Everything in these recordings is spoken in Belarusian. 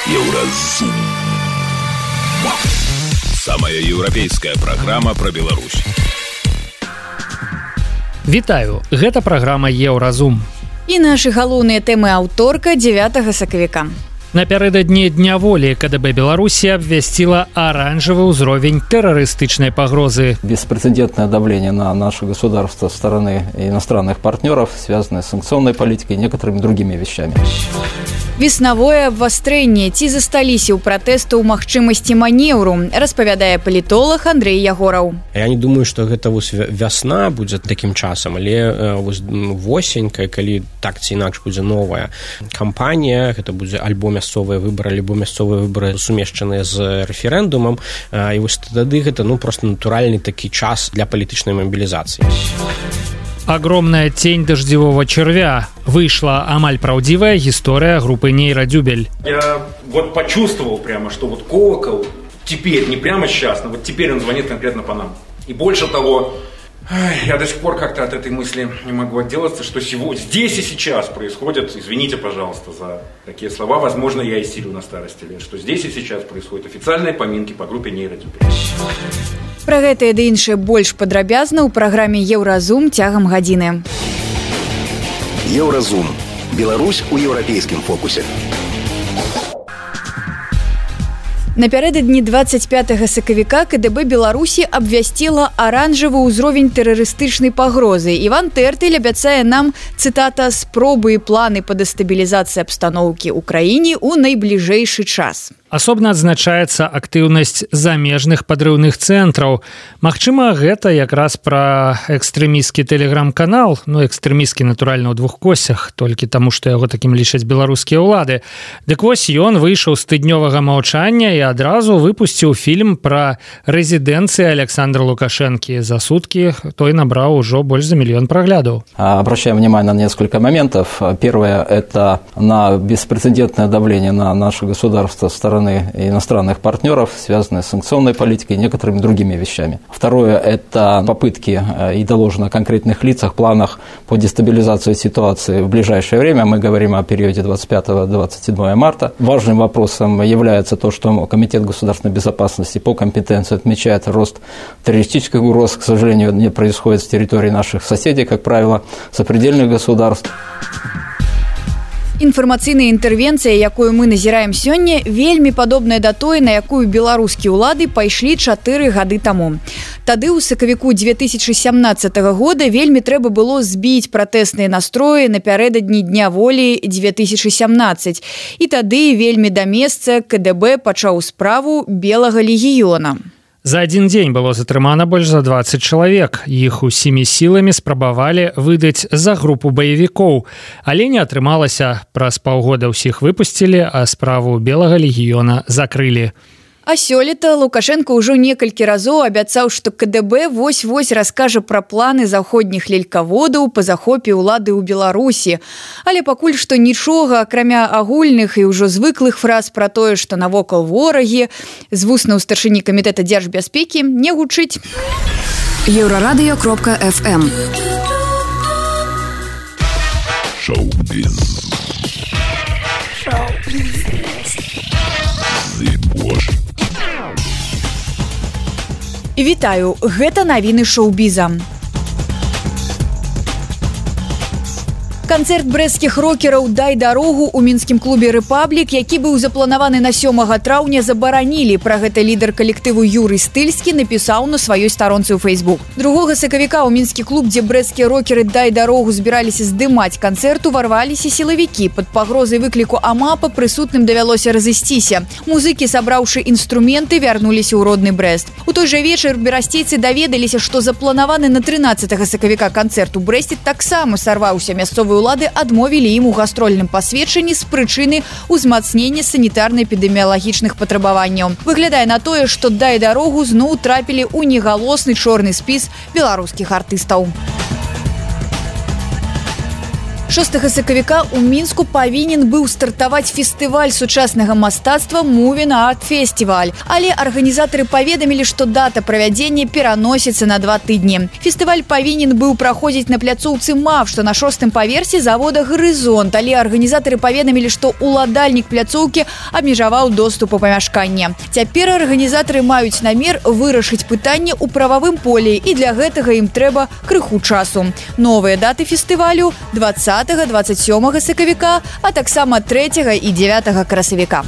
Еўразум. Самая еўрапейская праграма пра Беларусь. Вітаю, гэта праграма Еўразум. І нашы галоўныя тэмы аўторка 9 сакавіка. Напярэдадні Дня волі КДБ Беларусі абвясціла оранжевый уровень террористичной погрозы. Беспрецедентное давление на наше государство со стороны иностранных партнеров, связанное с санкционной политикой и некоторыми другими вещами. Веснавое абвастрэнне. Ці засталіся ў пратэсту ў магчымасці манеўру, распавядае палітолог Андрей Ягораў. Я не думаю, што гэта вясна будзе такім часам, але восень, калі так ці інакш будзе новая кампанія, гэта будзе альбо мясцовыя выбары, альбо мясцовыя выбары сумешчаныя з рэферэндумам, і вось тады гэта просто натуральны такі час для палітычнай мобілізацыі. Огромная тень дождевого червя. Вышла амаль правдивая история группы Нейродюбель. Я вот почувствовал прямо, что вот колокол теперь, не прямо сейчас, но вот теперь он звонит конкретно по нам. И больше того, я до сих пор как-то от этой мысли не могу отделаться, что здесь и сейчас происходит, извините, пожалуйста, за такие слова, возможно, я истерю на старости лет, что здесь и сейчас происходят официальные поминки по группе Нейродюбель. Пра гэтае ды іншае больш падрабязна ў праграме Еўразум цягам гадзіны. Еўразум. Беларусь у еўрапейскім фокусе. Напярэдадні 25 сакавіка КДБ Беларусі абвясціла аранжавы ўзровень тэрарыстычнай пагрозы. Іван Тэртыль абяцае нам, цытата, спробы і планы па дэстабілізацыі абстаноўкі ў краіне ў найбліжэйшы час. Асобна адзначаецца актыўнасць замежных падрыўных цэнтраў. Магчыма, гэта якраз пра экстрэмісцкі тэлеграм-канал, экстрэмісцкі, натуральна, ў двух косях, толькі таму, што яго такім лічаць беларускія ўлады. Дык вось ён выйшаў з тыднёвага маўчання і адразу выпусціў фільм пра рэзідэнцыі Александра Лукашэнкі. За суткі той набраў ужо больш за 1 000 000 праглядаў. Обращаем внимание на несколько моментов. Первое – это на беспрецедентное давление на наше государство со стороны иностранных партнеров, связанные с санкционной политикой и некоторыми другими вещами. Второе – это попытки и доложено о конкретных лицах, планах по дестабилизации ситуации в ближайшее время. Мы говорим о периоде 25-27 марта. Важным вопросом является то, что Комитет государственной безопасности по компетенции отмечает рост террористических угроз. К сожалению, не происходит с территории наших соседей, как правило, сопредельных государств. Інфармацыйная інтэрвенцыя, якую мы назіраем сёння, вельмі падобная да той, на якую беларускія ўлады пайшлі 4 гады таму. Тады ў сакавіку 2017 года вельмі трэба было збіць пратэсныя настроі напярэдадні Дня волі 2017. І тады вельмі да месца КДБ пачаў справу Белага легіёна. За один дзень было затрымана больш за 20 чалавек. Іх усімі сіламі спрабавалі выдаць за групу баевікоў. Але не атрымалася. Праз паўгода ўсіх выпусцілі, а справу Белага легіёна закрылі. А сёлета Лукашенко ўжо некалькі разоў абяцаў, што КДБ вось-вось раскажа пра планы заходніх лелькаводаў па захопе ўлады ў Беларусі. Але пакуль што нічога, акрамя агульных і ўжо звыклых фраз пра тое, што навокал ворагі, з вуснаў старшыні камітэта дзяржбяспекі не гучыць. Еўрарадыё.фм Шоу-біз. Вітаю, гэта навіны шоу-біза. Канцэрт брэсцкіх рокераў «Дай дарогу» у мінскім клубе «Рэпаблік», які быў запланаваны на 7 траўня, забаранілі. Пра гэта лідар калектыву Юрый Стыльскі напісаў на сваёй старонцы ў Facebook. 2 сакавіка ў мінскі клуб, дзе брэсцкія рокеры «Дай дарогу» збіраліся здымаць канцэрт, уварваліся сілавікі. Пад пагрозай выкліку АМАПа прысутным давялося разысціся. Музыкі, сабраўшы інструменты, вярнуліся ў родны Брэст. У той жа вечар берасцейцы даведаліся, што запланаваны на 13 сакавіка канцэрт у Брэсце таксама сарваўся. Мясцовыя улады адмовілі ім у гастрольным пасведчанні з прычыны ўзмацнення санітарна-эпідэміялагічных патрабаванняў. Выглядае на тое, што «Дай дарогу» зноў трапілі ў негалосны чорны спіс беларускіх артыстаў. 6 сакавіка ў Мінску павінен быў стартаваць фестываль сучаснага мастацтва Moving Art Festival, але арганізатары паведамілі, што дата правядзення пераносіцца на 2 тыдні. Фестываль павінен быў праходзіць на пляцоўцы МАФ, што на 6-м паверсе завода «Гарызонт», але арганізатары паведамілі, што ўладальнік пляцоўкі абмежаваў доступ у памяшканне. Цяпер арганізатары маюць намер вырашыць пытанне ў прававым полі, і для гэтага ім трэба крыху часу. Новыя даты фестывалю 20-27 сакавіка, а таксама 3 і 9 красавіка.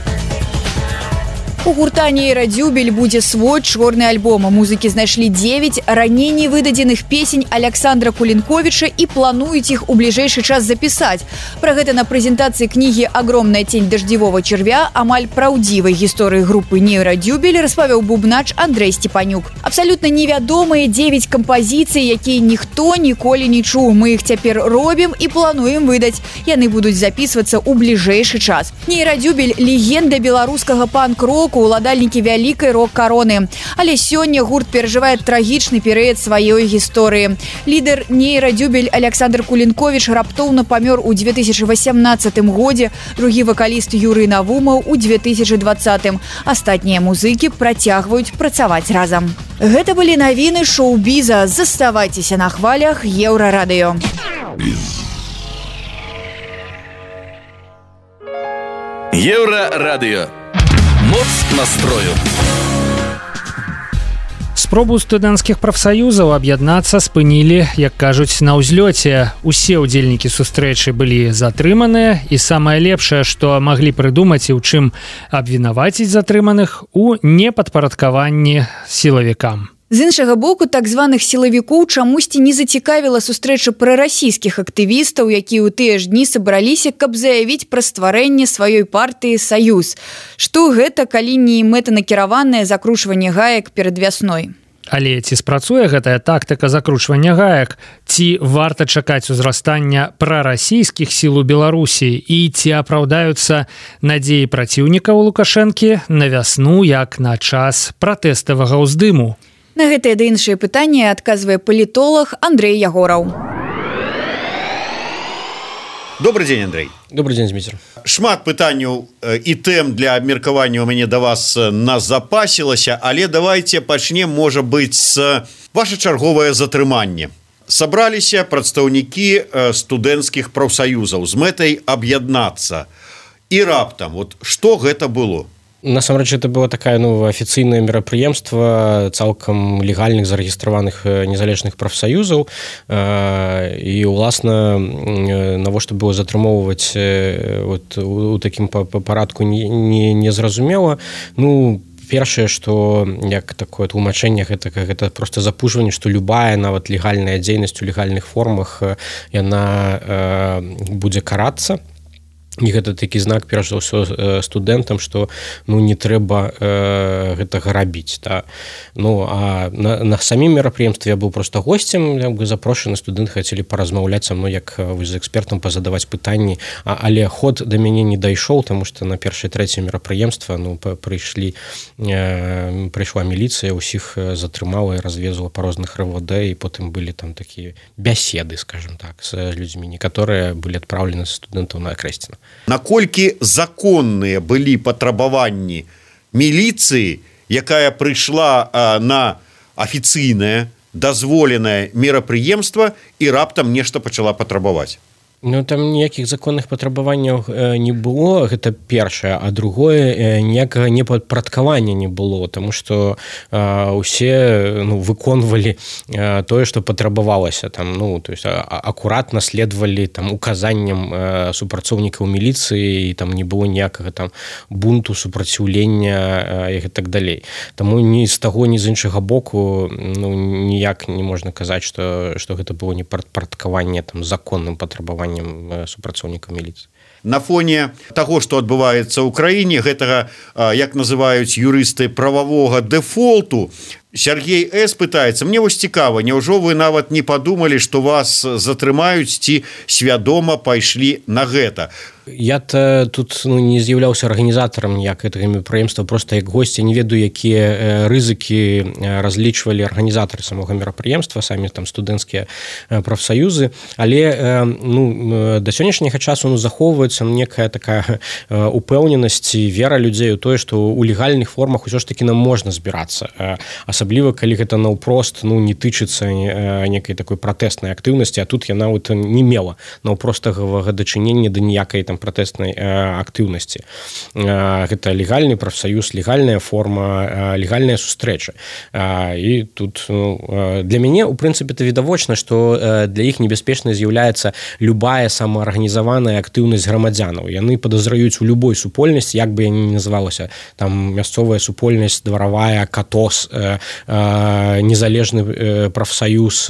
У гурта «Нейрадзюбель» будзе свой чорны альбом. Музыкі знайшлі 9 раней не выдадзеных песень Александра Кулінковіча і плануюць іх у бліжэйшы час запісаць. Пра гэта на прэзентацыі кнігі «Огромная тень дождевого червя» амаль праўдзівай гісторыі групы «Нейрадзюбель» распавёў бубнач Андрей Степанюк. Абсалютна невядомыя 9 кампазіцый, якія ніхто ніколі не чуў. Мы іх цяпер робім і плануем выдаць. Яны будуць запісвацца ў бліжэйшы час. «Нейрадзюбель» – легенда беларускага панк-року, уладальнікі вялікай рок-кароны. Але сёння гурт перажывае трагічны перыяд сваёй гісторыі. Лідар «Нейрадзюбель» Александр Кулінковіч раптоўна памёр у 2018 годзе, другі вакаліст Юрый Навумаў у 2020. Астатнія музыкі працягваюць працаваць разам. Гэта былі навіны шоу-біза. Заставайцеся на хвалях Еўрарадыё. Еўрарадыё. Моц настрою. Спробу студэнцкіх прафсаюзаў аб'яднацца спынілі, як кажуць, на ўзлёце. Усе ўдзельнікі сустрэчы былі затрыманыя, і самае лепшае, што маглі прыдумаць і ў чым абвінаваціць затрыманых, у непадпарадкаванні сілавікам. З іншага боку, так званых сілавікоў чамусьці не зацікавіла сустрэча прарасійскіх актывістаў, якія ў тыя ж дні сабраліся, каб заявіць пра стварэнне сваёй партыі «Саюз». Што гэта, калі не мэтанакіраванае закручванне гаек перад вясной? Але ці спрацуе гэтая тактыка закручвання гаек? Ці варта чакаць узрастання прарасійскіх сіл у Беларусі? І ці апраўдаюцца надзеі праціўнікаў Лукашэнкі на вясну, як на час пратэставага ўздыму? На гэтае ды іншыя пытанні адказвае палітолог Андрей Ягораў. Добрый день, Андрей. Добрый день, Дмитрий. Шмат пытанняў і тэм для абмеркавання у мяне да вас назапасілася, але давайте пачнем, можа быць, з ваше чарговае затрыманне. Сабраліся прадстаўнікі студэнцкіх прафсаюзаў з мэтай аб'яднацца. І раптам, вот што гэта было? Насамрэч, это было такое афіцыйнае мерапрыемства цалкам легальных зарэгістраваных незалежных прафсаюзаў, і уласна навошта было затрымоўваць у такім парадку незразумела. Першае, што як такое тлумачэнне, гэта проста запужванне, што любая нават легальная дзейнасць у легальных формах яна будзе карацца. І гэта такі знак, перш за ўсё, студэнтам, што не трэба гэтага рабіць. А на самім мерапрыемстве я быў проста госцем, запрошаны, студэнты хацелі паразмаўляць са мной, як з экспертам пазадаваць пытанні, але ход да мяне не дайшоў, таму што на першае-трэцяе мерапрыемства прыйшла міліцыя, усіх затрымала і развезла па розных РВД, і потым былі там такія бяседы, скажем так, з людзьмі. Некаторыя былі адпраўлены з студэнтаў на Акрэсціна. Наколькі законныя былі патрабаванні міліцыі, якая прыйшла на афіцыйнае, дазволенае мерапрыемства і раптам нешта пачала патрабаваць? Там ніякіх законных патрабаванняў не было, гэта першае, а другое, ніякага непадпарадкавання не было, таму што усе выконвалі тое, што патрабавалася, то есть акуратна следвалі указанням супрацоўнікаў міліцыі, і там не было ніякага бунту, супраціўлення і так далей. Таму ні з таго, ні з іншага боку ніяк не можна казаць, што гэта было непадпарадкаванне законным патрабаваннем супрацоўнікаў міліцыі. На фоне таго, што адбываецца ў краіне, гэтага, як называюць юрысты, прававога дэфолту, Сергей С. пытается, мне вось цікава, няўжо вы нават не подумали, что вас затрымаюць ці свядома пайшлі на гэта? Я-то тут не з'яўляўся арганізатарам ніяк гэтага мерапрыемства, просто як госці не ведаю, якія рызыкі разлічвалі арганізатары самога мерапрыемства, самі там студэнцкія прафсаюзы, але да сённяшняга часу захоўваецца некая такая упэўненасць і вера людзей у тое, што ў легальных формах усё ж такі нам можна збірацца, асабліва калі гэта наўпрост не тычыцца некай такой пратэснай актыўнасці, а тут яна не мела наўпростага дачынення да ніякай там пратэснай актыўнасці. Гэта легальны прафсаюз, легальная форма, легальная сустрэча. І тут для мяне, у прынцыпе, это відавочна, што для іх небяспечнай з'яўляецца любая самаарганізаваная актыўнасць грамадзянаў. Яны падазраюць у любой супольнасці, як бы яна не называлася, там мясцовая супольнасць, дваравая, катос, незалежны прафсаюз,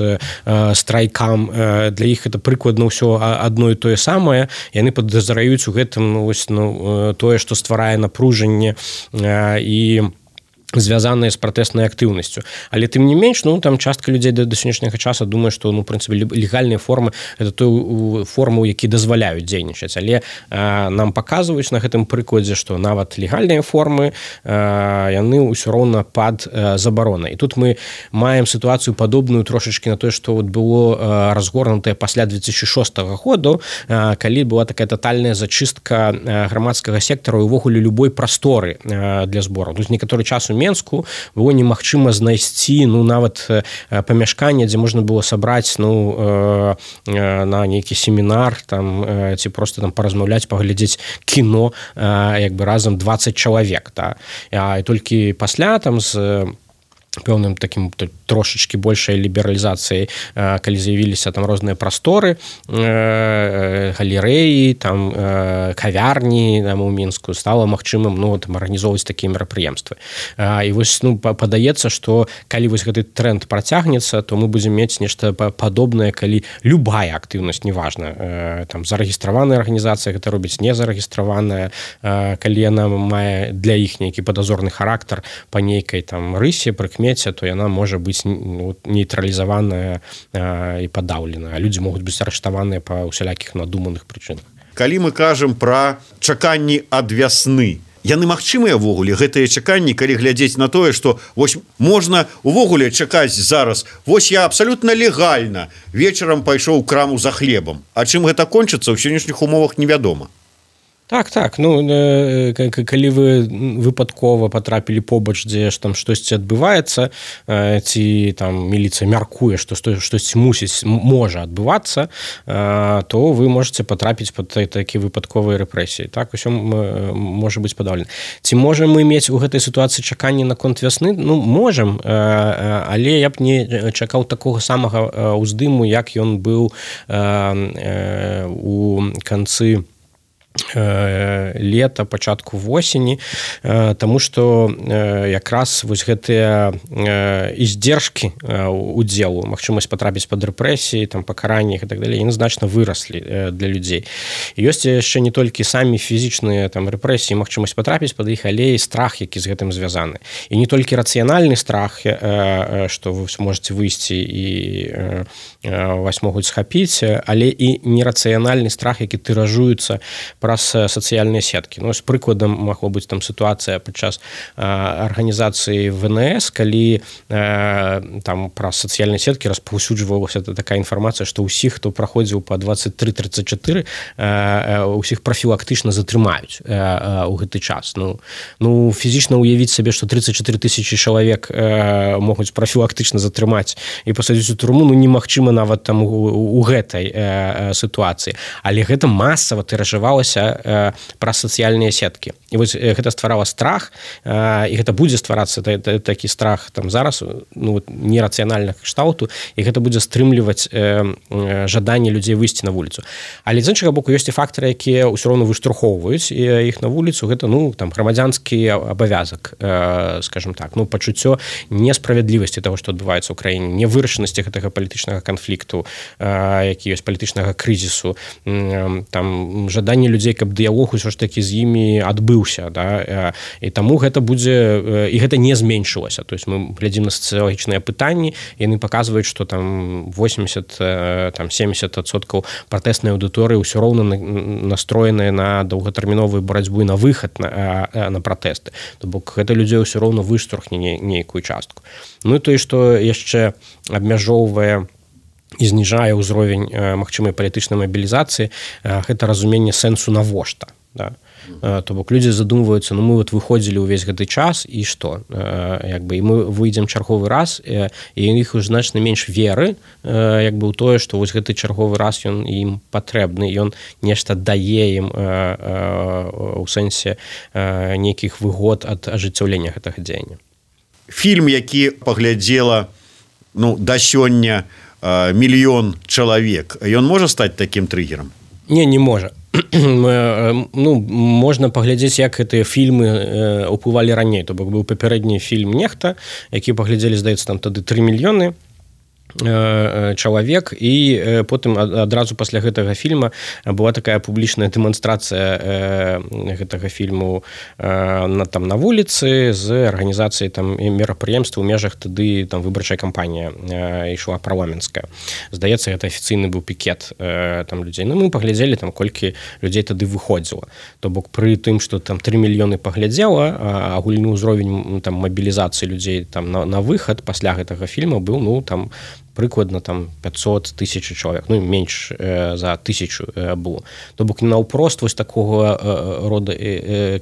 страйкам. Для іх это прыкладна ўсё адно і тое самае. Яны падазраюць у гэтым тое, што стварае напружанне і звязаныя з пратэснай актыўнасцю. Але тым не менш, там частка людзей да сённяшняга часу думае, што прынцыпе легальныя формы это той формы, які дазваляюць дзейнічаць. Але нам паказваюць на гэтым прыкладзе, што нават легальныя формы яны ўсё роўна пад забаронай. І тут мы маем сітуацыю падобную трошачкі на тое, што было разгорнутае пасля 2006 году, калі была такая татальная зачыстка грамадскага сектара і ўвогуле любой прасторы для збору. Тут некаторы час у Менску было немагчыма знайсці нават памяшканне, дзе можна было сабраць на нейкі семінар там, ці просто там паразмаўляць, паглядзець кіно як бы разам 20 чалавек. І толькі пасля там з пэўным такім трошачкі большай лібералізацыяй, калі з'явіліся там розныя прасторы, галерэі, там кавярні там у Мінску, стала магчымым арганізоўваць такія мерапрыемствы. І вось падаецца, што калі вось гэты тренд працягнецца, то мы будзем мець нешта падобнае, калі любая актыўнасць, неважна, там зарэгістраваная арганізацыя гэта робіць, не зарэгістраваная, калі яна мае для іх нейкі падазорны характар па нейкай там рысе, прыкмеце, то яна можа быць нейтралізаваная і падаўлена. Людзі могуць быць арыштаваныя па ўсялякіх надуманых прычынах. Калі мы кажам пра чаканні ад вясны, яны магчымыя ўвогуле, гэтыя чаканні, калі глядзець на тое, што вось можна ўвогуле чакаць зараз, вось я абсалютна легальна вечарам пайшоў у краму за хлебам. А чым гэта кончыцца, ў сённяшніх умовах невядома. Так, калі вы выпадкова патрапілі побач, дзе там штосьці адбываецца, ці там міліцыя мяркуе, што штосьці можа адбывацца, то вы можаце патрапіць пад такія выпадковыя рэпрэсіі. Так, усё можа быць падаўлена. Ці можам мы мець у гэтай сітуацыі чаканні наконт вясны? Можам, але я б не чакаў такога самага ўздыму, як ён быў у канцы лета, пачатку восені, таму што якраз вось гэтыя издержкі удзелу, магчымасць патрапіць пад рэпрэсіі, там пакаранні і так далей, яны значна выраслі для людзей. І ёсць яшчэ не толькі самі фізічныя там рэпрэсіі, магчымасць патрапіць пад іх, але і страх, які з гэтым звязаны. І не толькі рацыянальны страх, што вы можете выйсці і вас могуць схапіць, але і нерацыянальны страх, які тыражуецца праз сацыяльныя сеткі. З прыкладам магло быць там сітуацыя падчас арганізацыі ВНС, калі там праз сацыяльныя сеткі распаўсюджвалася такая інфармацыя, што ўсіх, хто праходзіў па 23-34, усіх прафілактычна затрымаюць у гэты час. Фізічна ўявіць сабе, што 34 тысячи чалавек могуць прафілактычна затрымаць і пасадзіць у турму, немагчыма нават там у гэтай сітуацыі. Але гэта масава тыражавалася праз сацыяльныя сеткі. І вось гэта стварала страх, і гэта будзе стварацца такі страх там зараз, нерацыянальнага кшталту, і гэта будзе стрымліваць жаданне людзей выйсці на вуліцу. Але з іншага боку ёсць і фактары, якія ўсё роўна выштурхоўваюць іх на вуліцу. Гэта там грамадзянскі абавязак, скажем так, пачуццё несправядлівасці таго, што адбываецца ў краіне, невырашанасці гэтага палітычнага канфлікту, які ёсць палітычнага крызісу, там жаданне людзей людзей, каб дыялог усё ж такі з імі адбыўся, да? І таму гэта будзе, і гэта не зменшылася. То есть мы глядзім на сацыялагічныя пытанні, яны паказваюць, што там 80-70% пратэснай аўдыторыі ўсё роўна настроеныя на доўгатэрміновую барацьбу і на выхад на пратэсты. То бок гэта людзей ўсё роўна выштурхне нейкую частку. Ну і тое, што яшчэ абмяжоўвае і зніжае ўзровень магчымай палітычнай мабілізацыі, гэта разуменне сэнсу навошта, да? То бок людзі задумваюцца, ну мы вот выходзілі ўвесь гэты час і што, як бы, і мы выйдзем чарговы раз, і іх уже значна менш веры, як бы, у тое, што вось гэты чарговы раз ён ім патрэбны, ён нешта дае ім у сэнсе нейкіх выгод ад ажыццяўлення гэтага дзеяння. Фільм, які паглядзела, ну, да сёння мільён чалавек, ён можа стаць такім трыгерам? Не можа. Ну, можна паглядзець, як гэтыя фільмы ўплывалі раней. То бок быў папярэдні фільм «Нехта», які паглядзелі, здаецца, там тады 3 мільёны чалавек, і потым адразу пасля гэтага фільма была такая публічная дэманстрацыя гэтага фільму там на вуліцы з арганізацыяй там мерапрыемстваў у межах тады там выбарчая кампанія ішла парламенцкая. Здаецца, гэта афіцыйны быў пікет там людзей. Ну, мы паглядзелі там, колькі людзей тады выходзіла. То бок пры тым, што там 3 мільёны паглядзела, агульны ўзровень там мабілізацыі людзей там на выхад пасля гэтага фільма быў, ну, там прыкладна там 500 тысяч чалавек, ну менш за 1000 было. То бок наўпрост вось такога рода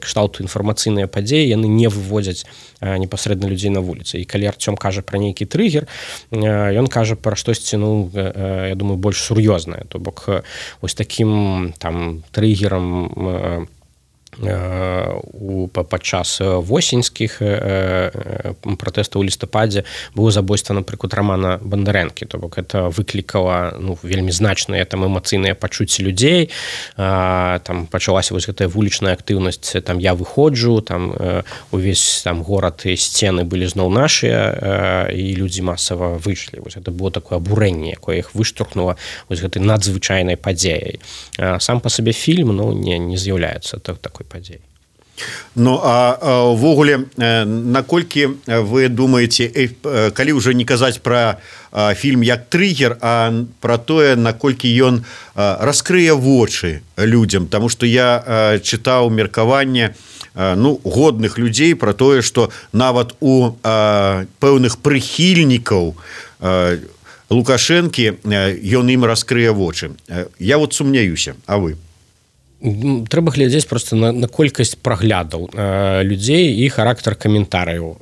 кшталту інфармацыйныя падзеі яны не выводзяць непасрэдна людзей на вуліцы. І калі Арцём кажа пра нейкі трыгер, ён кажа пра штосьці, ну, я думаю, больш сур'ёзнае. То бок вось такім там трыгерам падчас восеньскіх пратэстаў у лістападзе было забойства, напрыклад, Рамана Бандарэнкі. То бок это выклікала, ну, вельмі значныя там эмацыйныя пачуцці людзей. Там пачалася вось гэтая вулічная актыўнасць, там я выходжу, там увесь там горад і сцены былі зноў нашыя, і людзі масава выйшлі. Вось гэта было такое абурэнне, якое іх выштурхнула вось гэтай надзвычайнай падзеяй. Сам па сабе фільм, ну, не з'яўляецца такой падзеі. Ну, а ўвогуле, наколькі вы думаеце, калі ўжо не казаць пра фільм як трыгер, а пра тое, наколькі ён раскрые вочы людзям, таму што я чытаў меркаванне, ну, годных людзей пра тое, што нават у пэўных прыхільнікаў Лукашэнкі ён ім раскрые вочы. Я вот сумняюся, а вы? Трэба глядзець просто на колькасць праглядаў людзей і характар каментарыяў.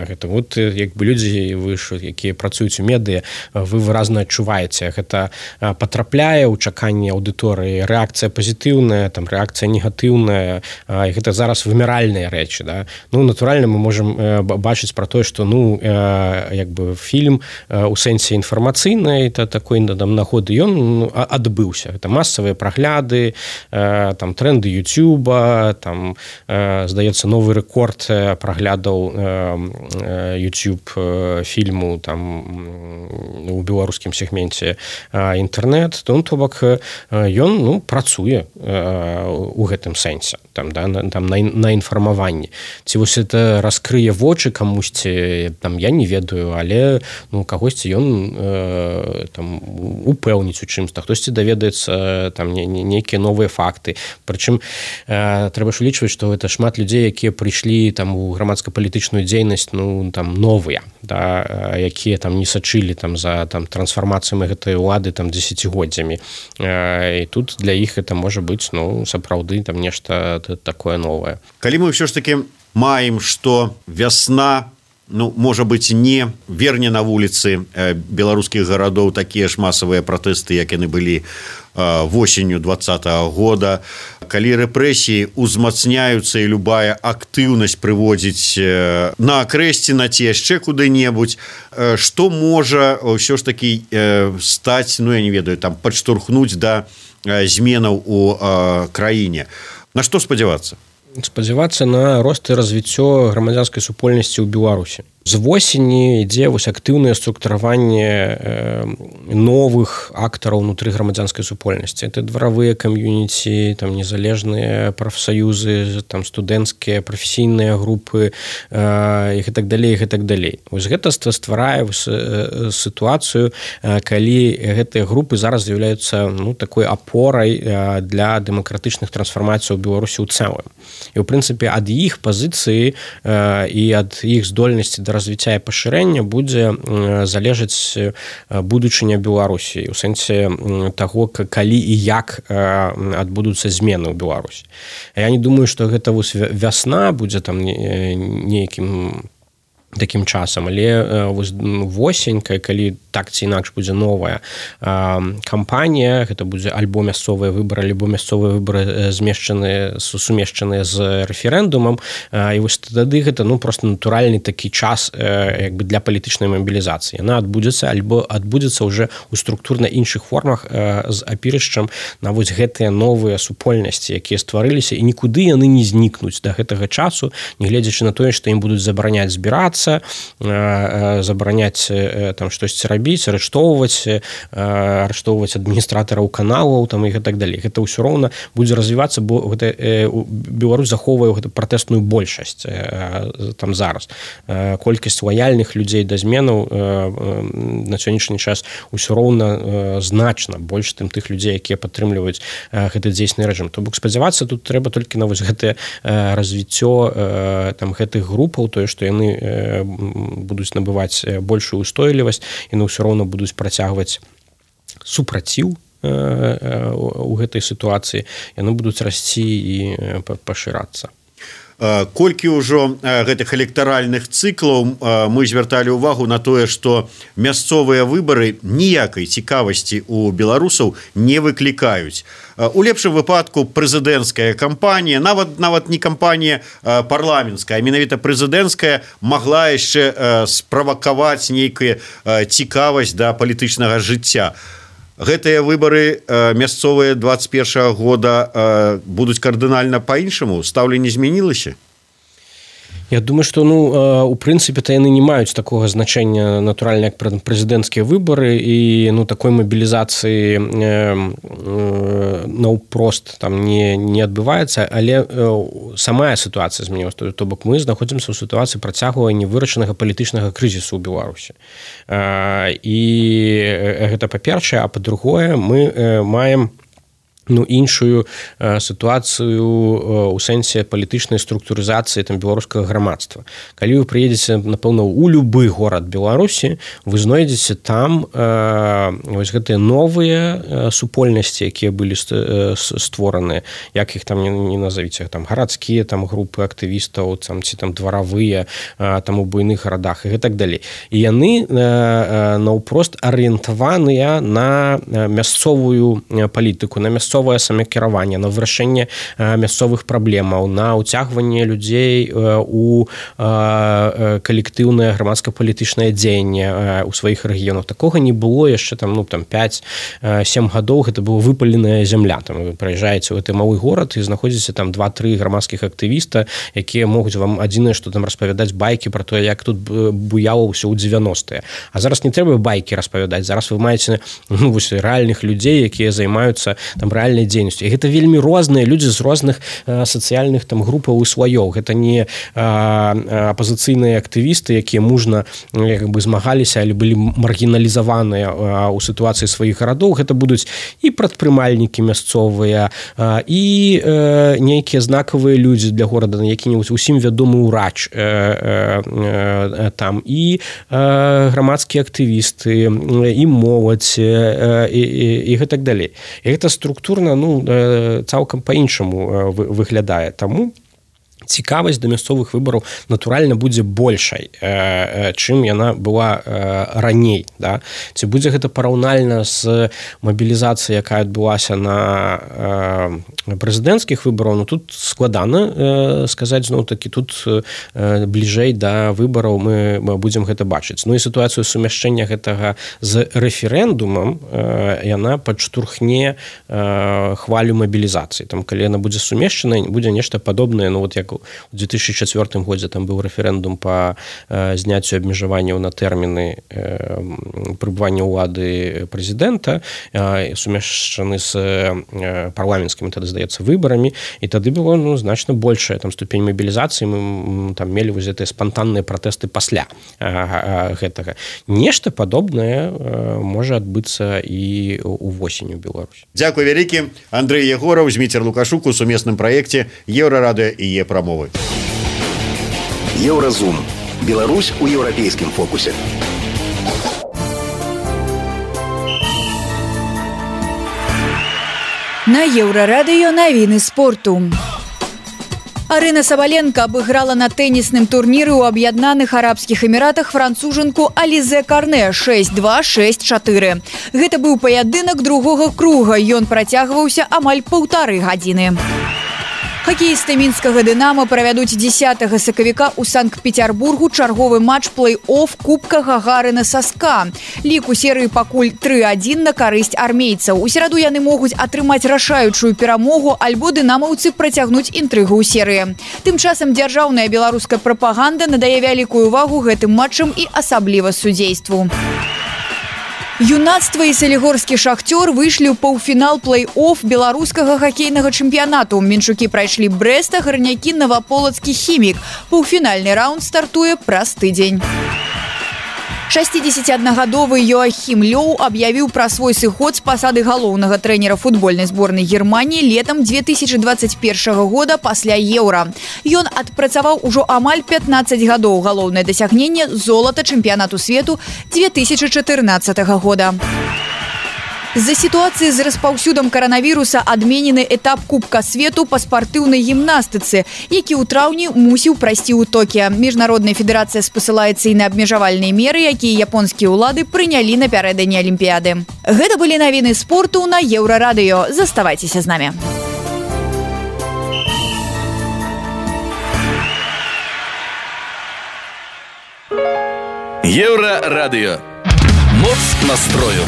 Гэта вот як бы людзі, вы ж, якія працуюць у медыа, вы выразна адчуваеце, гэта патрапляе ў чаканне аўдыторыі, рэакцыя пазітыўная, там рэакцыя негатыўная, і гэта зараз выміральныя рэчы, да? Ну, натуральна, мы можам бачыць пра тое, што, ну, як бы фільм у сэнсе інфармацыйнай, такой там нагоды ён адбыўся. Гэта масавыя прагляды, там тренды Ютуба, там, здаецца, новы рэкорд праглядаў YouTube фільму там у беларускім сегменце інтэрнэт. То бок ён, ну, працуе у гэтым сэнсе, там, да, там на інфармаванні. Ці вось это раскрые вочы камусьці, там, я не ведаю, але, ну, кагосьці ён там упэўніць у чымсьці, хтосьці даведаецца там нейкія новыя факты. Прычым трэба ж улічваць, што гэта шмат людзей, якія прыйшлі там у грамадска-палітычную дзейнасць, ну, там новыя, да, якія там не сачылі там за там трансфармацыямі гэтай улады там дзесяцігоддзямі. І тут для іх это можа быць, ну, сапраўды там нешта такое новае. Калі мы ўсё ж такі маем, што вясна, ну, можа быць, не верне на вуліцы беларускіх гарадоў такія ж масавыя пратэсты, як яны былі восенню 2020 года, калі рэпрэсіі узмацняюцца і любая актыўнасць прыводзіць на акрэсціна ці яшчэ куды-небудзь, што можа ўсё ж такі стаць, ну, я не ведаю, там падштурхнуць да зменаў у краіне? На што спадзявацца? Спадзявацца на рост і развіццё грамадзянскай супольнасці ў Беларусі. З восені ідзе вось актыўнае структураванне новых актараў унутры грамадзянскай супольнасці. Это дваравыя кам'юніці, там незалежныя прафсаюзы, там студэнцкія прафесійныя групы і так далей, і так далей. Вось гэта стварае сітуацыю, калі гэтыя групы зараз з'яўляюцца такой апорай для дэмакратычных трансфармацый у Беларусі ў цэлым. І ў прынцыпе ад іх пазіцыі і ад іх здольнасці да развіцця і пашырэння будзе залежаць будучыня Беларусі у сэнсе таго, калі і як адбудуцца змены ў Беларусі. Я не думаю, што гэта вясна будзе там нейкім такім часам, але восень, калі так ці інакш будзе новая кампанія, гэта будзе альбо мясцовыя выбары, альбо мясцовыя выбары сумешчаныя з рэферэндумам, і вось тады гэта просто натуральны такі час як бы для палітычнай мабілізацыі. Яна адбудзецца альбо адбудзецца ўжо ў структурна іншых формах з апірышчам на вось гэтыя новыя супольнасці, якія стварыліся, і нікуды яны не знікнуць да гэтага часу, нягледзячы на тое, што ім будуць забараняць збірацца, забараняць там штосьці рабіць, арыштоўваць адміністратараў каналаў там, і так далей. Гэта ўсё роўна будзе развівацца, бо гэта Беларусь захоўвае гэту пратэсную большасць там зараз. Колькасць лаяльных людзей да зменаў на сённяшні час ўсё роўна значна больш, тым тых людзей, якія падтрымліваюць гэты дзейсны рэжым. То бок спадзявацца тут трэба толькі на вось гэтае развіццё там гэтых групаў, тое, што яны будуць набываць большую устойлівасць, яны ўсё роўна будуць працягваць супраціў у гэтай сітуацыі, яны будуць расці і пашырацца. Колькі ўжо гэтых электаральных цыклаў мы звярталі ўвагу на тое, што мясцовыя выбары ніякай цікавасці ў беларусаў не выклікаюць. У лепшым выпадку прэзідэнцкая кампанія, нават не кампанія парламенцкая, а менавіта прэзідэнцкая магла яшчэ справакаваць нейкую цікавасць да палітычнага жыцця. Гэтыя выбары мясцовыя 21 года будуць кардынальна па-іншаму? Стаўленне змянілася? Я думаю, што у прынцыпе-то яны не маюць такога значэння натуральна, як прэзідэнцкія выбары, і такой мабілізацыі наўпрост там не адбываецца, але самая сітуацыя змянілася. То бок мы знаходзімся ў сітуацыі працягвання вырашанага палітычнага крызісу ў Беларусі. І гэта па-першае, а па-другое, мы маем іншую сітуацыю у сэнсе палітычнай структурызацыі там беларускага грамадства. Калі вы прыедзеце, напэўна, у любы горад Беларусі, вы знойдзеце там вось гэтыя новыя супольнасці, якія былі створаныя, як іх там не назавіце, там гарадскія там групы актывістаў, там ці там дваравыя там у буйных гарадах і так далей. І яны наўпрост арыентаваныя на мясцовую палітыку, на мясцовае самакіраванне, на вырашэнне мясцовых праблемаў, на ўцягванне людзей у калектыўнае грамадска-палітычнае дзеянне ў сваіх рэгіёнах. Такога не было яшчэ там 5-7 гадоў, гэта была выпаленая зямля. Там вы прыязджаеце ў гэты малы горад і знаходзіце там 2-3 грамадскіх актывіста, якія могуць вам адзінае, што там распавядаць байкі пра тое, як тут буяла ўсё ў 90-е. А зараз не трэба байкі распавядаць. Зараз вы маеце рэальных людзей, якія займаюцца там рэальнай дзейнасцю. І гэта вельмі розныя людзі з розных сацыяльных там групаў і слаёў. Гэта не апазіцыйныя актывісты, якія мужна як бы змагаліся, але былі маргіналізаваныя ў сітуацыі сваіх гарадоў. Гэта будуць і прадпрымальнікі мясцовыя, і нейкія знакавыя людзі для горада, які-небудзь усім вядомы ўрач там, і грамадскія актывісты, і моладзь, і гэтак далей. І гэта структурна цалкам па-іншаму выглядае. Таму цікавасць да мясцовых выбараў натуральна будзе большай, чым яна была раней. Да? Ці будзе гэта параўнальна з мабілізацыяй, якая адбылася на прэзідэнцкіх выбараў, тут складана сказаць, зноў-такі тут бліжэй да выбараў мы будзем гэта бачыць. І сітуацыю сумяшчэння гэтага з рэферэндумам яна падштурхне хвалю мабілізацыі. Там, калі яна будзе сумешчана, будзе нешта падобнае, як як у 2004 годзе там быў рэферэндум па зняццю абмежаванняў на тэрміны прыбывання ўлады прэзідэнта, сумешчаны з парламенцкімі, тады, здаецца, выбарамі, і тады было значна большая там ступень мабілізацыі, мы там мелі вось гэтыя спантанныя пратэсты пасля гэтага. Нешта падобнае можа адбыцца і увосень у Беларусі. Дзякуй вялікі. Андрэй Егораў, Зміцер Лукашук у сумесным праекце Еўрарадыё і Е-прамовы. Еўразум. Беларусь у еўрапейскім фокусе. На Еўрарадыё навіны спорту. Арына Сабаленко абыграла на тэнісным турніры ў Аб'яднаных Арабскіх Эміратах францужанку Алізе Карне 6-2, 6-4. Гэта быў паядынак другога круга, ён працягваўся амаль 1,5 гадзіны. Хакеісты мінскага «Дынамо» правядуць 10 сакавіка ў Санкт-Петербургу чарговы матч плэй-офф Кубка Гагарына са СКА. Лік у серыі пакуль 3-1 на карысць армейцаў. У сераду яны могуць атрымаць рашаючую перамогу, альбо дынамаўцы працягнуць інтрыгу ў серыі. Тым часам дзяржаўная беларуская прапаганда надае вялікую ўвагу гэтым матчам і асабліва судзейству. Юнацтва і салігорскі «Шахтёр» выйшлі ў паўфінал плэй-офф беларускага хакейнага чэмпіянату. Менчукі прайшлі Брэста, гарнякі Наваполацкі «Хімік». Паўфінальны раунд стартуе праз тыдзень. 61-гадовы Йоахім Лёў аб'явіў пра свой сыход з пасады галоўнага трэнера футбольнай зборнай Германіі летам 2021 года пасля Еўра. Ён адпрацаваў ужо амаль 15 гадоў. Галоўнае дасягненне – золата чэмпіянату свету 2014 года. З-за сітуацыі з распаўсюдам каранавіруса адменены этап Кубка свету па спартыўнай гімнастыцы, які ў траўні мусіў прайсці ў Токіа. Міжнародная федэрацыя спасылаецца і на абмежавальныя меры, якія японскія ўлады прынялі напярэдадні Алімпіяды. Гэта былі навіны спорту на Еўрарадыё. Заставайцеся з намі. Еўрарадыё. Моц настрою.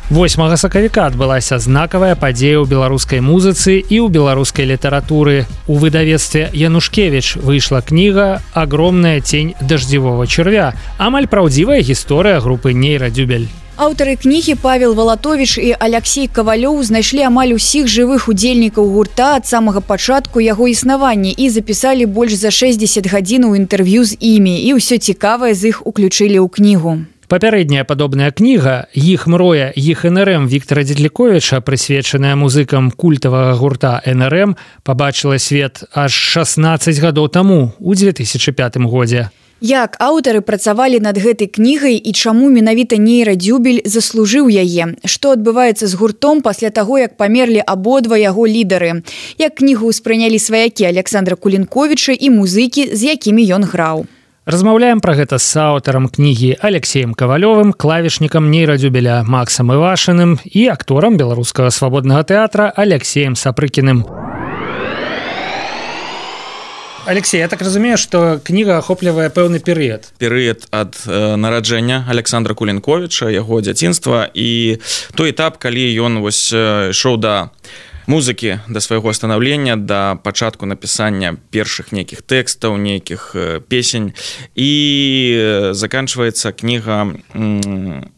8 сакавіка адбылася знакавая падзея ў беларускай музыцы і ў беларускай літаратуры. У выдавецтве «Янушкевіч» выйшла кніга «Огромная тень дождевого червя». Амаль праўдзівая гісторыя групы «Нейрадзюбель». Аўтары кнігі Павел Валатовіч і Аляксей Кавалёў знайшлі амаль усіх жывых удзельнікаў гурта ад самага пачатку яго існавання і запісалі больш за 60 гадзінаў інтэрв'ю з імі, і ўсё цікавае з іх уключылі ў кнігу. Папярэдняя падобная кніга «Іх мроя, іх НРМ» Віктара Дзедліковіча, прысвечаная музыкам культавага гурта НРМ, пабачыла свет аж 16 гадоў таму, у 2005 годзе. Як аўтары працавалі над гэтай кнігай і чаму менавіта Нейрадзюбель заслужыў яе? Што адбываецца з гуртом пасля таго, як памерлі абодва яго лідары? Як кнігу ўспрынялі сваякі Александра Кулінковіча і музыкі, з якімі ён граў? Размаўляем пра гэта з аўтарам кнігі Алексеем Кавалёвым, клавішнікам Нейрадзюбеля Максам Івашыным і акторам беларускага свабоднага тэатра Алексеем Сапрыкіным. Алексей, я так разумею, што кніга ахоплівае пэўны перыяд. Перыяд ад нараджэння Александра Кулінковіча, яго дзяцінства і той этап, калі ён ішоў да музыкі, да свайго станаўлення, да пачатку напісання першых нейкіх тэкстаў, нейкіх песень, і заканчваецца кніга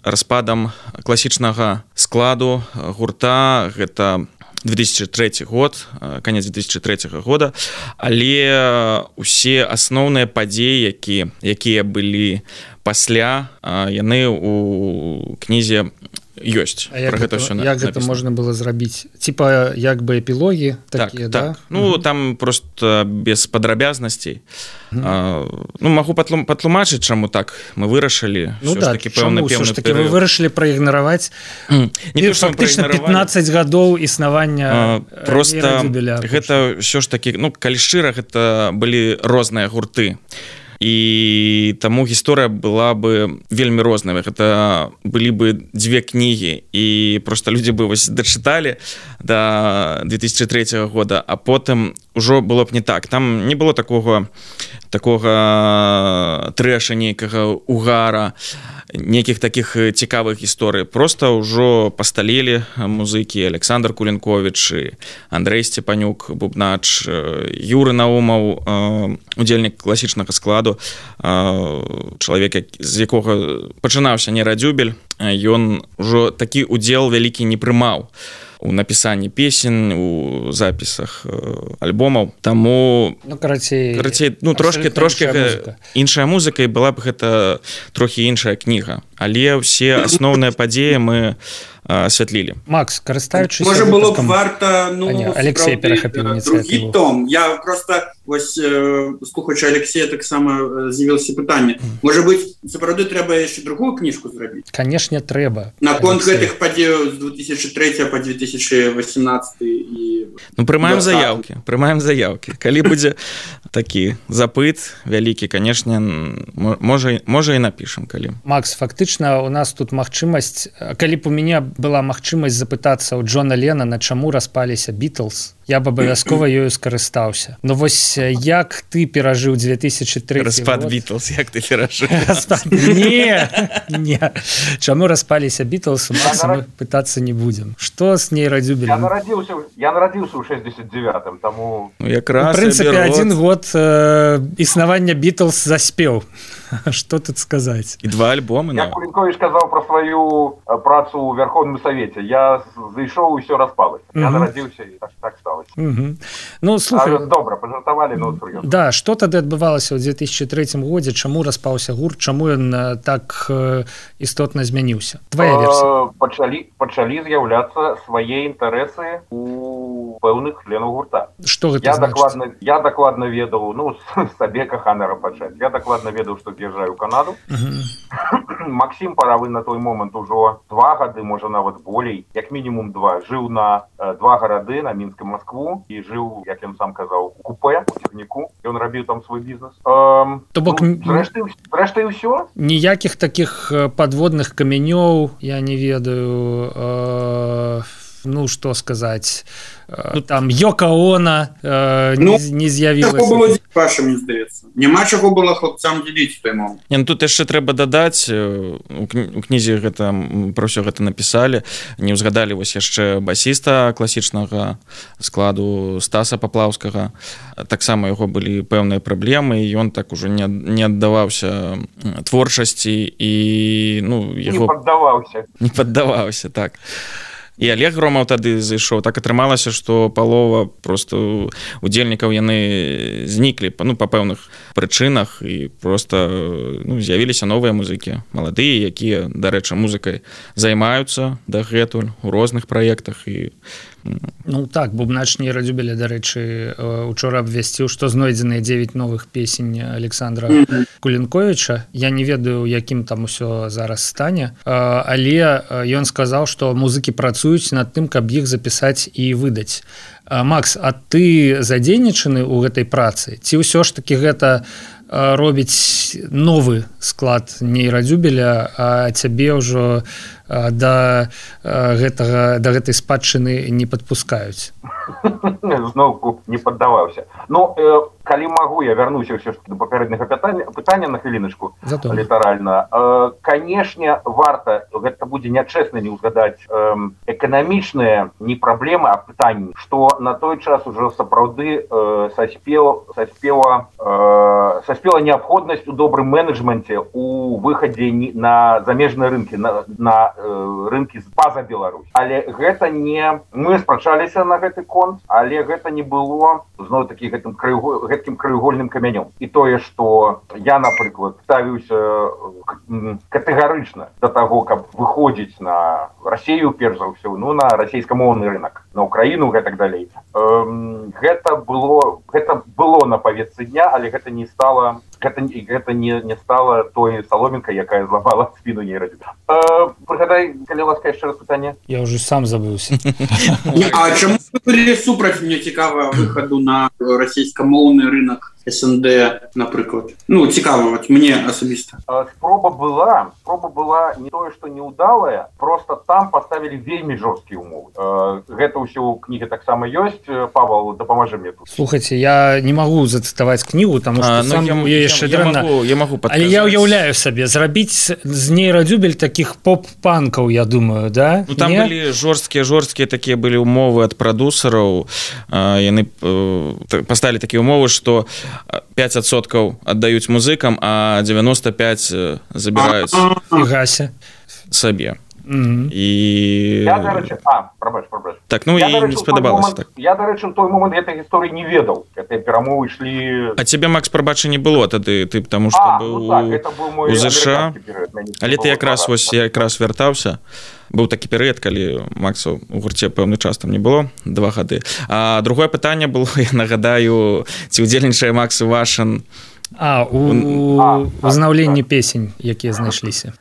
распадам класічнага складу гурта. Гэта 2003 год, канец 2003 года, але усе асноўныя падзеі, якія былі пасля, яны у кнізе ёсць. Як гэта можна было зрабіць? Типа як бы эпілогі такія, так. Ну, там просто без падрабязнасцей. Магу патлумачыць, чаму так мы вырашылі. Ну да, чаму ўсё ж такі вы вырашылі праігнараваць фактычна 15 гадоў існавання Нейрадзюбеля. Гэта ўсё ж такі, калі шчыра, гэта былі розныя гурты. і таму гісторыя была бы вельмі розная. Гэта былі бы дзве кнігі, і просто людзі бы вось дачыталі до 2003 года, а потым ужо было б не так. Там не было такога трэша, нейкага угара, нейкіх такіх цікавых гісторый. Просто ўжо пасталелі музыкі Александр Кулінковіч, Андрэй Сцепанюк, бубнач, Юры Наумаў, удзельнік класічнага складу, чалавек, з якога пачынаўся нейрадзюбель, ён ужо такі удзел вялікі не прымаў у напісанні песень, у запісах альбомаў. Таму карацей, трошки іншая музыка, і была б гэта трохі іншая кніга. Але ўсе асноўныя падзеі мы асвятлілі. Макс, карыстаючыся... Можа было б варта, Алексей перахапіў ініцыятыву. Другі том. Я просто, вось, слухаючы Алексея, таксама з'явілася пытанне. Можа быць, сапраўды трэба яшчэ другую кніжку зрабіць? Канешне, трэба. Наконт гэтых падзеяў з 2003 па 2018 і... Прымаем заяўкі. Калі будзе такі запыт вялікі, канешне, можа і напішам, калі. Макс, фактычна, у нас тут магчымасць, калі б у мяне была магчымасць запытацца ў Джона Леннона, чаму распаліся Бітлз, я б абавязкова ёю скарыстаўся. Но вось як ты перажыў 2003 распад Бітлз, як ты перажыў? Не. Чаму распаліся Бітлз, у Макса мы пытацца не будзем. Што з нейрадзюбелем? Я нарадзіўся ў 69-м, таму... В прынцыпе, 1 год існавання Бітлз заспеў. Што тут сказаць? І 2 альбомы. Як Кулінковіч казаў пра сваю працу ў Верховным Савеце. Я зайшоў і ўсё распалася. Я нарадзіўся і так сталася. Ну, слухай... Добра, пажартавалі, но сур'ёзна. Да, што тады адбывалася ў 2003 годзе? Чаму распаўся гурт? Чаму ён так істотна змяніўся? Твая версія. Пачалі з'яўляцца свае інтарэсы у пэўных членаў гурта. Што гэта значыць? Я дакладна ведаў, сабе каханара пачаць. Я дакладна ведаў, што з'язджаю ў Канаду. Максім Паравы на той момант ужо 2 гады, можа нават болей, як мінімум 2, жыў на 2 гарады, на Мінск і Маскву, і жыў, як ён сам казаў, у купе, у цягніку. Ён рабіў там свой бізнес. То бок, зрэшты і ўсё. Ніякіх такіх падводных камянёў, я не ведаю, што сказаць, там Йока Оно не з'явілася. Мне здаецца. Няма чаго было хлопцам дзеліць у той момант. Тут яшчэ трэба дадаць, у кнізе гэта пра ўсё гэта напісалі, не ўзгадалі вось яшчэ басіста класічнага складу Стаса Паплаўскага. Таксама яго былі пэўныя праблемы, і ён так ужо не аддаваўся творчасці і не паддаваўся, так. І Олег Громаў тады зайшоў. Так атрымалася, што палова просто удзельнікаў яны зніклі па пэўных прычынах, і просто з'явіліся новыя музыкі, маладыя, якія, дарэчы, музыкай займаюцца дагэтуль у розных праектах. І так, бубнач нейрадзюбеля, дарэчы, учора абвясціў, што знойдзеныя 9 новых песень Александра Кулінковіча. Я не ведаю, якім там усё зараз стане, але ён сказаў, што музыкі працуюць над тым, каб іх запісаць і выдаць. Макс, а ты задзейнічаны ў гэтай працы? Ці ўсё ж такі гэта робіць новы склад нейрадзюбеля, а цябе ўжо да гэтай спадчыны не падпускаюць? Зноўку не паддаваўся. Калі магу, я вярнуся ўсё ж да папярэдняга пытання на хвіліначку, літаральна. Канешне, варта, гэта будзе нячэсна не ўзгадаць эканамічныя не праблемы, а пытанні, што на той час ужо сапраўды саспела неабходнасць у добрым менеджменце у выхадзе на замежныя рынкі, на рынкі з-па-за Беларусь. Але гэта не... Мы спрачаліся на гэты конт, але гэта не было зноў-такі гэткім краеугольным камянём. І тое, што я, напрыклад, ставіўся катэгарычна да таго, каб выходзіць на Расію, перш за ўсё, на расійскамоўны рынок, на Украіну і так далей. Гэта было на павестцы дня, але гэта не стала той саломінкай, якая зламала спіну нейрадзюбеля. Прыгадай, калі ласка, яшчэ раз пытанне. Я ўжо сам забыўся. А чаму вы былі супраць, мне цікава, выхаду на расійскамоўны рынок СНД, напрыклад? Ну, цікава, вот мне асабіста. Спроба была не тое, што неудалая, просто там поставілі вельмі жорсткія умовы. Гэта ўсё ў кнігі таксама ёсць. Павел, дапамажы мне тут. Слухайте, я не магу зацытаваць кнігу, таму што сам яшчэ дрэнна. Я магу падказаць. Але я ўяўляю сабе, зрабіць з нейрадзюбель такіх поп-панкаў, я думаю, да? Ну, там былі жорсткія такія былі умовы ад прадусераў. Яны паставілі такія умовы, што 5% аддаюць музыкам, а 95% забіраюць і гася сабе. І... Я, дарэчы, прабач. Так, ну і не спадабалася так. Я, дарэчы, у той момент гэтай гісторыі не ведаў. Гэтыя перамовы ішлі... А цябе, Макс, прабачы не было тады, ты потому што быў у ЗША. Але ты якраз вяртаўся. Быў такі перыяд, калі Макса у гурце пэўны час там не было, 2 гады. А другое пытанне было, я нагадаю, ці ўдзельнічае Макс Вашын узнаўленні песень, якія знайшліся.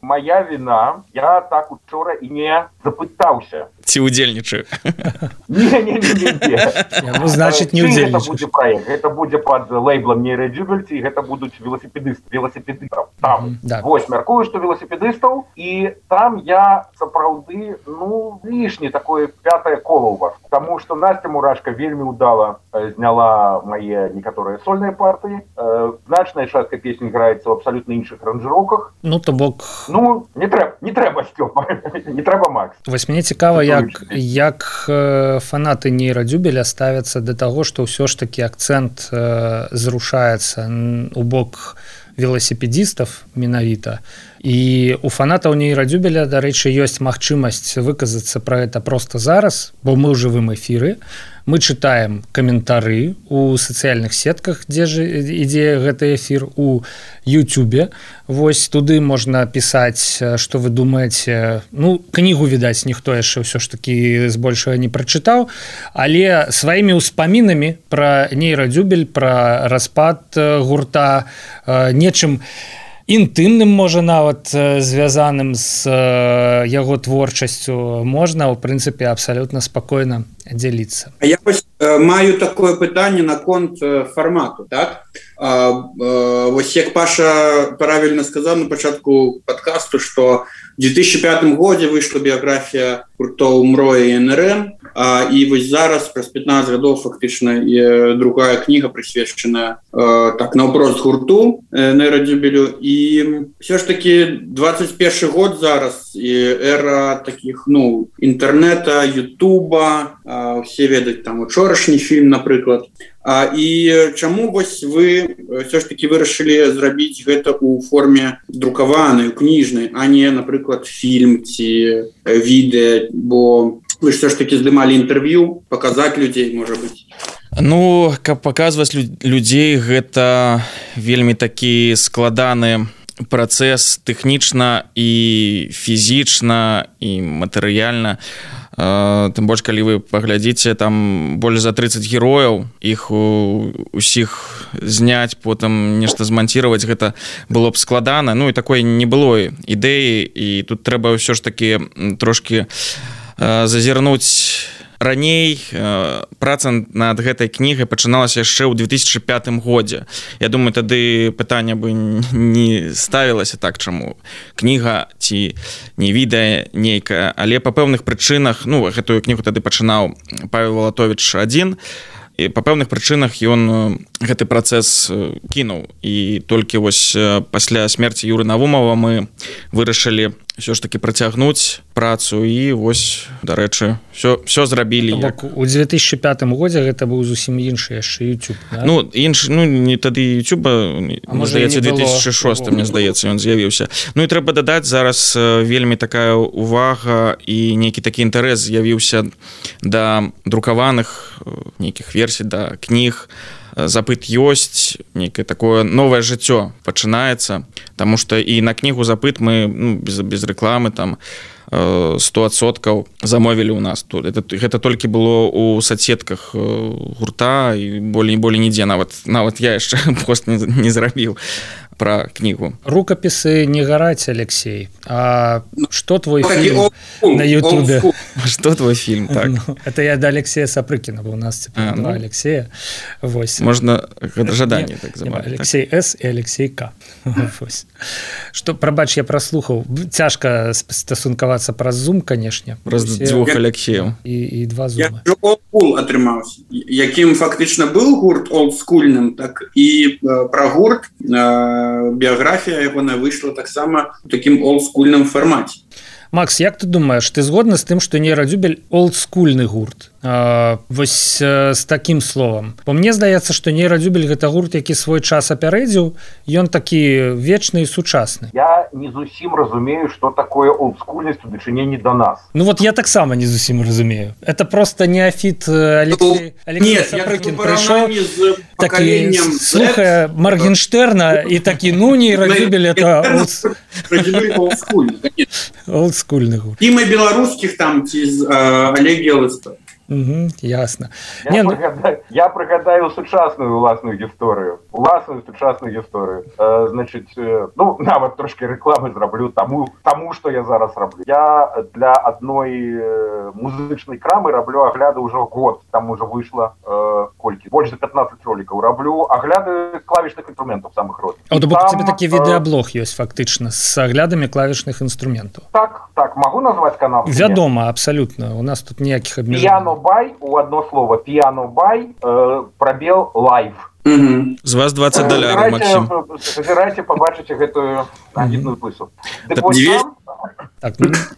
Моя вина, я так учора і не запытаўся. Ці ўдзельнічаю? Не. Ну, значит, не ўдзельнічаеш. Гэта будзе пад лейблам нейрадзюбельці, і гэта будуць веласіпедыстаў. Там, вось, мяркую, што веласіпедыстаў, і там я сапраўды, лішне такое 5-е кола ў вас. Таму што Настя Мурашка вельмі ўдала зняла мае некаторыя сольныя партыі. Значная частка песень граецца ў абсалютна іншых аранжыроўках. Ну, то бок... не трэба, Стёпа, не трэба, Макс. Вось мне цікава, як фанаты нейрадзюбеля ставяцца да таго, што ўсё ж такі акцэнт зрушаецца у бок веласіпедістаў менавіта. І у фанатаў нейрадзюбеля, дарэчы, ёсць магчымасць выказацца пра гэта проста зараз, бо мы ў жывым эфіры. Мы чытаем каментары у сацыяльных сетках, дзе ж ідзе гэты эфір, у Ютубе. Вось туды можна пісаць, што вы думаеце. Ну, кнігу, відаць, ніхто яшчэ ўсё ж такі збольшага не прачытаў, але сваімі ўспамінамі пра нейрадзюбель, пра распад гурта, нечым інтымным, можа, нават звязаным з яго творчасцю можна, ў прынцыпе, абсалютна спакойна дзяліцца. Я маю такое пытанне наконт фармату, так? Вось як Паша правільна сказаў на пачатку падкасту, што в 2005 годзе выйшла біяграфія гуртоў МРО і НРМ, і вось зараз праз 15 гадоў фактычна другая кніга прысвечаная так наўпрост гурту нейрадзюбелю. І все ж таки 21 год зараз і эра таких інтэрнета, Ютуба, все ведаць там учорашні фільм, напрыклад. І чаму вось вы все ж таки вырашылі зрабіць гэта ў форме друкаванай, кніжнай, а не, напрыклад, фільм ці відэа, бо вы все ж таки здымалі інтэрв'ю, паказаць людзей, можа быць. Ну, каб паказваць людзей, гэта вельмі такі складаны працэс тэхнічна і фізічна і матэрыяльна. Тым больш, калі вы паглядзіце, там больш за 30 герояў, іх усіх зняць, потым нешта зманціраваць, гэта было б складана. Ну і такой не было ідэі, і тут трэба ўсё ж такі трошкі зазірнуць раней. Праца над гэтай кнігай пачыналася яшчэ ў 2005 годзе. Я думаю, тады пытанне бы не ставілася так, чаму кніга ці не відэа нейкая, але па пэўных прычынах, гэтую кнігу тады пачынаў Павел Валатович адзін, і па пэўных прычынах ён гэты працэс кінуў. І толькі вось пасля смерці Юры Навумова мы вырашылі ўсё ж таки працягнуць працу, і вось, дарэчы, все зрабілі. У 2005 годзе гэта быў зусім іншы яшчэ YouTube, да? Не тады YouTube, здаецца, 2006, мне здаецца, ён з'явіўся. Ну і трэба дадаць, зараз вельмі такая увага і нейкі такі інтарэс з'явіўся да друкаваных нейкіх версій, да кніг. Запыт ёсць, нейкае такое новае жыццё пачынаецца, таму што і на кнігу запыт мы без рэкламы там 100% замовілі ў нас. Гэта толькі было ў соцсетках гурта, і болей нідзе, нават я яшчэ пост не зрабіў. пра кнігу. Рукапісы не гараць, Алексей. А што твой фільм на Ютубе? Што твой фільм, так? Это я да Алексея Сапрыкіна, бо у нас два Алексея. Можна жаданне так зваць. Алексей С і Алексей К. Што, прабач, я праслухаў. Цяжка стасункавацца праз Zoom, канешне. Праз дзвюх Алексеяў. І два Zoom. Я олдскул атрымаўся. Якім фактычна быў гурт олдскульным, так і пра гурт біяграфія ягоная выйшла таксама у такім олдскульным фармаце. Макс, як ты думаеш, ты згодна з тым, што нейрадзюбель олдскульны гурт? Вось з такім словам. Бо мне здаецца, што нейрадзюбель гэта гурт, які свой час апярэдзіў, ён такі вечны і сучасны. Я не зусім разумею, што такое олдскульнасць у дачыненні да нас. Ну вот я таксама не зусім разумею. Это просто неафіт Алексей Сапрыкін прыйшоў, такі слухае Моргенштерна і такі, ну нейрадзюбель это олдскульны гурт. І мы беларускіх там ці з Олег Елыста. Ясно. Я прыгадаю сучасную уласную гісторыю. Значыць, ну, нават трошки рэкламы зраблю таму, што я зараз раблю. Я для адной музычнай крамы раблю агляды ўжо год. Там уже выйшла колькі? Больш за 15 ролікаў раблю агляды клавішных інструментаў самых розных. А то бок у цябе такі відэаблог ёсць фактычна з аглядамі клавішных інструментаў. Так, магу назваць канал? Вядома, абсалютна. У нас тут ніякіх абмежаванняў. Piano-by, у одно слово, Piano-by, пробел live. З вас $20, Максим. Зазірайце, побачыце гэтую агітную пысу. Так,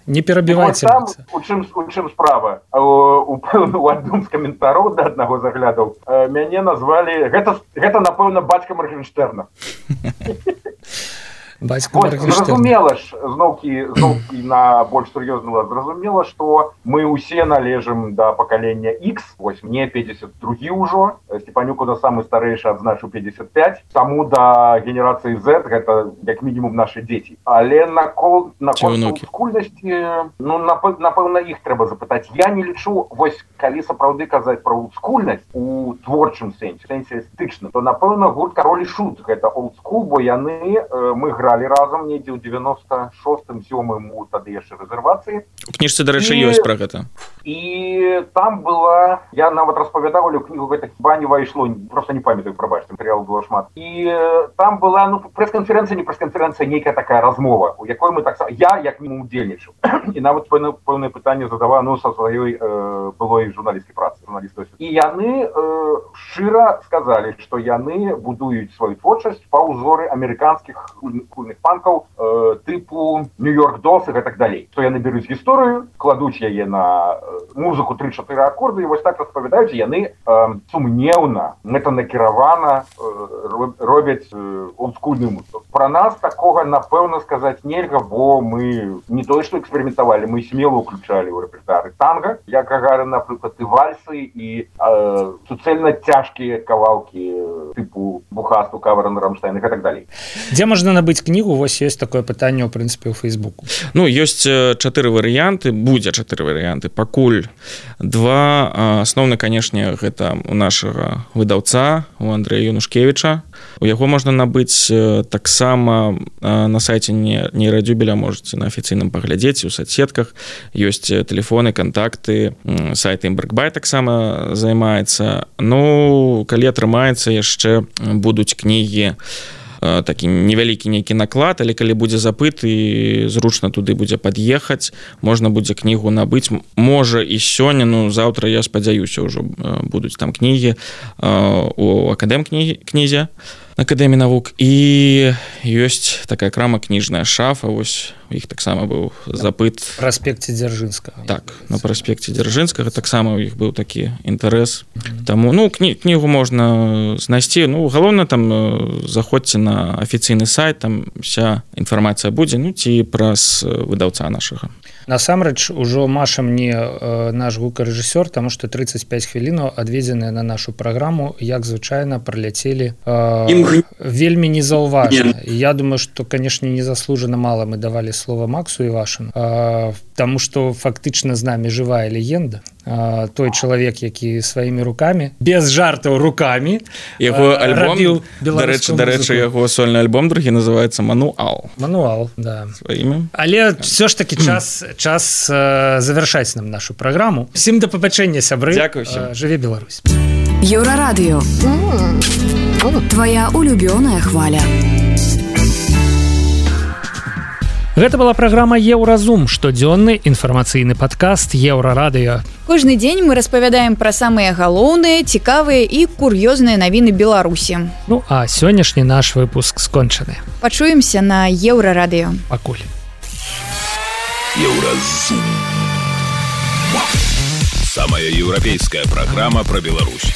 не перабівайце. У чым справа? У адным з каментароў да аднаго з аглядаў мяне назвалі, гэта напэўна, бацька Моргенштерна. Зразумела ж, зноўкі на больш сур'ёзны лад, зразумела, што мы ўсе належым да пакалення X, вось мне 52 ўжо, Степанюк у нас самы старэйшы адзначыў 55, таму да генерацыі Z гэта як мінімум нашы дзеці. Але наконт олдскульнасці, ну, напэўна, іх трэба запытаць. Я не лічу, вось калі сапраўды казаць пра олдскульнасць у творчым сэнсе эстэтычна, то напэўна гурт Кароль і Шут гэта олдскул, бо яны, мы гралі разам недзе ў 96-м, 7-м у тады яшчэ рэзервацыі. У кніжцы, дарэчы, ёсць пра гэта. І там была, я нават распавядаў, але ў кнігу гэта хіба не вайшло, просто не памятаю, прабачце, матэрыялу было шмат. І там была, ну, прэс-канферэнцыя, не прэс-канферэнцыя, нейкая такая размова, у якой мы таксама, я як мінімум удзельнічаў. І нават пэўнае пытанне задаваў, ну, са сваёй былой журналісцкай працы, журналістаў. І яны шчыра сказалі, што яны будуюць сваю творчасць па ўзоры амерыканскіх кульных панкаў тыпу Нью-Йорк Долс і гэтак далей. Што яны беруць гісторыю, кладуць яе на музыку 3-4 акорды, і вось так распавядаюць, яны сумнеўна, мэтанакіравана робяць олдскульную музыку. Пра нас такога, напэўна, сказаць нельга, бо мы не тое, што эксперыментавалі, мы смело ўключалі ў рэпертуары танга, як Гагарин, напрыклад, і вальсы, і суцэльна цяжкія кавалкі тыпу Бухасту, Каверен, Рамштайн і гэтак далей. Дзе можна набыць кнігу? Вось ёсць такое пытанне, ў прынцыпе, ў Фейсбуку. Ну, ёсць 4 варыянты, будзе 4 варыянты. Пакуль 2. Асноўны, канешне, гэта у нашага выдаўца, у Андрэя Юнушкевіча. У яго можна набыць таксама на сайце нейрадзюбеля, можаце на афіцыйным паглядзець, у соцсетках. Ёсць тэлефоны, кантакты, сайт Імбрэкбай таксама займаецца. Ну, калі атрымаецца, яшчэ будуць кнігі, такі невялікі нейкі наклад, але калі будзе запыт і зручна туды будзе пад'ехаць, можна будзе кнігу набыць. Можа і сёння, ну заўтра, я спадзяюся, ўжо будуць там кнігі у акадэм-кнізе, Акадэміі навук, і ёсць такая крама кніжная Шафа, вось у іх таксама быў запыт. Праспекце Дзяржынскага. Так, на праспекце Дзяржынскага таксама у іх быў такі інтарэс. Таму, ну, кнігу можна знайсці. Ну, галоўна, там заходзьце на афіцыйны сайт, там вся інфармацыя будзе, ну, ці праз выдаўца нашага. Насамрэч, ужо Маша мне наш гукарэжысёр, таму што 35 хвілінаў адведзеныя на нашу праграму, як звычайна, праляцелі вельмі незаўважна. Я думаю, што, канешне, незаслужана мала мы давалі слово Максу Івашину, тому що фактично з нами жива легенда. Той чалавек, які сваімі рукамі, без жартаў рукамі яго альбом, дарэчы, яго сольны альбом другі называецца «Мануал». Да. Сваімі. Але все ж таки час завяршаць нам нашу праграму. Всім да пабачэння, сябры. Дзякуй всім. Жыве Беларусь. Еўрарадыё. Твоя улюбёная хваля. Гэта была праграма «Еўразум», штодзённы інфармацыйны падкаст «Еўрарадыё». Кожны дзень мы распавядаем пра самыя галоўныя, цікавыя і кур'ёзныя навіны Беларусі. Ну, а сённяшні наш выпуск скончаны. Пачуемся на Еўрарадыё. Пакуль. Еўразум. Самая еўрапейская программа про Беларусь.